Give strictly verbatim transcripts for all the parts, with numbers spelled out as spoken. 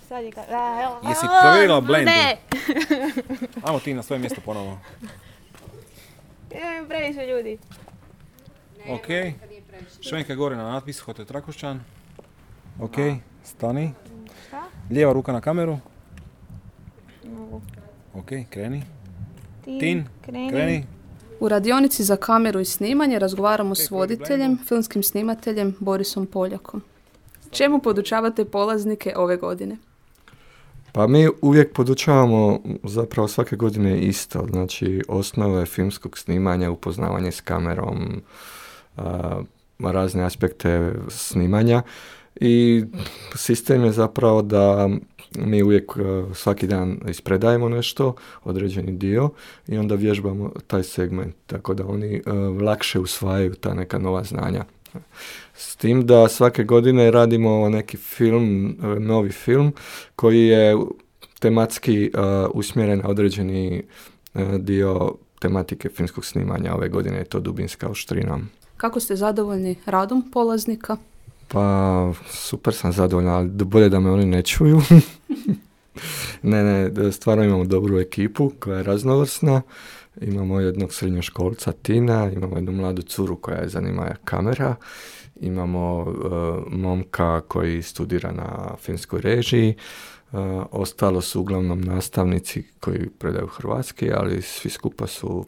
sad je ka... Jesi provjerila blendu? Ne! Ajmo ti na svoje mjesto ponovo. Imam previše ljudi. Ok. Švenka gore na natpis, Hotel Trakošćan. Ok, stani. Šta? Lijeva ruka na kameru. Mogu. Ok, kreni. Tin, Tin, kreni. kreni. U radionici za kameru i snimanje razgovaramo s voditeljem, filmskim snimateljem Borisom Poljakom. Čemu podučavate polaznike ove godine? Pa mi uvijek podučavamo zapravo svake godine isto, znači osnove filmskog snimanja, upoznavanje s kamerom, a, razne aspekte snimanja i sistem je zapravo da mi uvijek svaki dan ispredajemo nešto, određeni dio i onda vježbamo taj segment, tako da oni uh, lakše usvajaju ta neka nova znanja. S tim da svake godine radimo neki film, novi film koji je tematski uh, usmjeren na određeni uh, dio tematike filmskog snimanja. Ove godine je to Dubinska oštrina. Kako ste zadovoljni radom polaznika? Pa super sam zadovoljan, ali bolje da me oni ne čuju. ne, ne, stvarno imamo dobru ekipu koja je raznovrsna. Imamo jednog srednjoškolca Tina, imamo jednu mladu curu koja je zanima kamera, imamo uh, momka koji studira na filmskoj režiji, uh, ostalo su uglavnom nastavnici koji predaju hrvatski, ali svi skupa su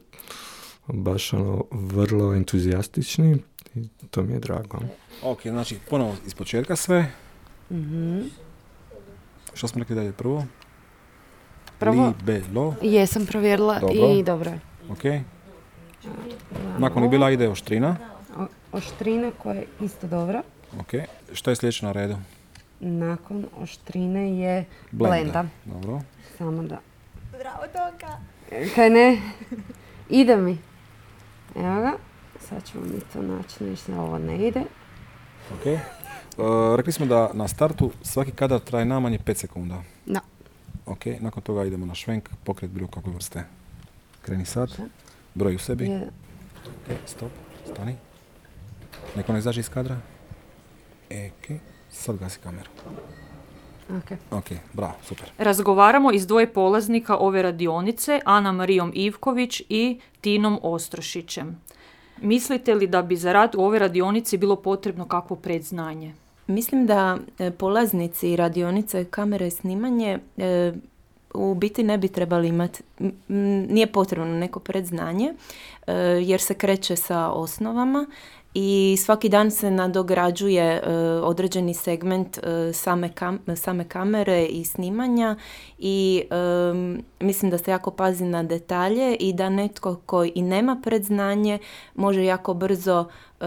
baš ono vrlo entuzijastični i to mi je drago. Ok, znači ponovo iz početka sve. Mm-hmm. Što smo rekli dalje prvo? Prvo, Libelo. Jesam provjerila Dobro. I dobro je. Ok. Nakon je bila ide oštrina. O, oštrina koja je isto dobra. Ok. Što je sljedeće na redu? Nakon oštrine je blenda. blenda. Dobro. Samo da. Bravo, Tonka! Kaj ne? Ide mi. Evo ga. Sad ćemo mi to naći, nešto ovo ne ide. Ok. Uh, rekli smo da na startu svaki kadar traje najmanje pet sekunda. Da. Ok, nakon toga idemo na švenk, pokret bilo kakve vrste. Kreni sad, broj u sebi. Je. Ok, stop, stani. Neko ne izađe iz kadra. E, ok, sad gasi kameru. Ok. Ok, bravo, super. Razgovaramo iz dvoje polaznika ove radionice, Ana Marijom Ivković i Tinom Ostrošićem. Mislite li da bi za rad u ovoj radionici bilo potrebno kakvo predznanje? Mislim da polaznici radionice kamere i snimanje e, u biti ne bi trebali imati, nije potrebno neko predznanje e, jer se kreće sa osnovama i svaki dan se nadograđuje e, određeni segment e, same, kam, same kamere i snimanja i e, mislim da se jako pazi na detalje i da netko koji i nema predznanje može jako brzo e,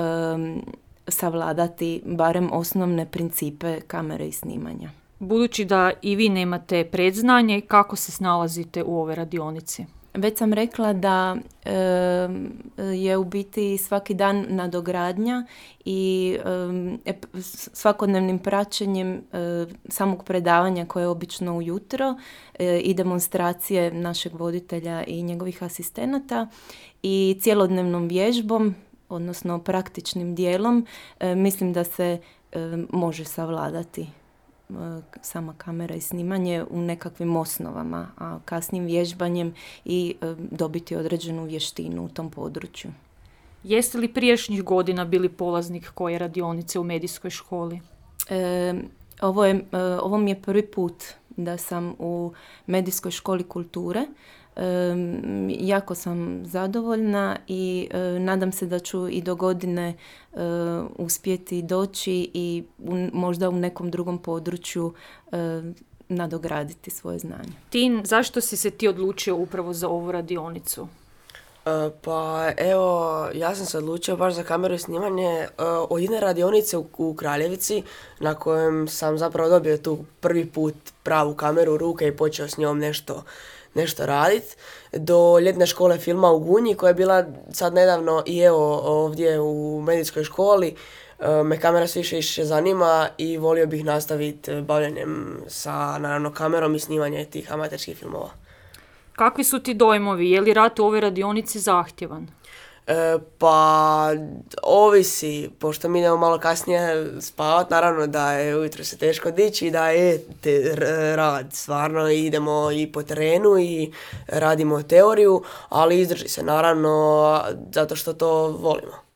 savladati barem osnovne principe kamere i snimanja. Budući da i vi nemate predznanje, kako se snalazite u ovoj radionici? Već sam rekla da e, je u biti svaki dan nadogradnja i e, svakodnevnim praćenjem e, samog predavanja koje je obično ujutro e, i demonstracije našeg voditelja i njegovih asistenata i cjelodnevnom vježbom, odnosno praktičnim dijelom, e, mislim da se e, može savladati e, sama kamera i snimanje u nekakvim osnovama, a kasnim vježbanjem i e, dobiti određenu vještinu u tom području. Jeste li prijašnjih godina bili polaznik koje radionice u medijskoj školi? E, ovo, je, e, ovo mi je prvi put da sam u medijskoj školi kulture. E, jako sam zadovoljna i e, nadam se da ću i do godine e, uspjeti doći i u, možda u nekom drugom području e, nadograditi svoje znanje. Tin, zašto si se ti odlučio upravo za ovu radionicu? Uh, pa evo, ja sam se odlučio baš za kameru i snimanje uh, od jedne radionice u, u Kraljevici na kojem sam zapravo dobio tu prvi put pravu kameru u ruke i počeo s njom nešto, nešto raditi, do ljetne škole filma u Gunji koja je bila sad nedavno i evo ovdje u medijskoj školi. Uh, me kamera sve više više zanima i volio bih nastaviti bavljenjem sa naravno kamerom i snimanje tih amaterskih filmova. Kakvi su ti dojmovi? Je li rad u ovoj radionici zahtjevan? E, pa, ovisi, pošto mi idemo malo kasnije spavat, naravno da je ujutro se teško dići i da je te, r- rad, stvarno idemo i po terenu i radimo teoriju, ali izdrži se naravno zato što to volimo.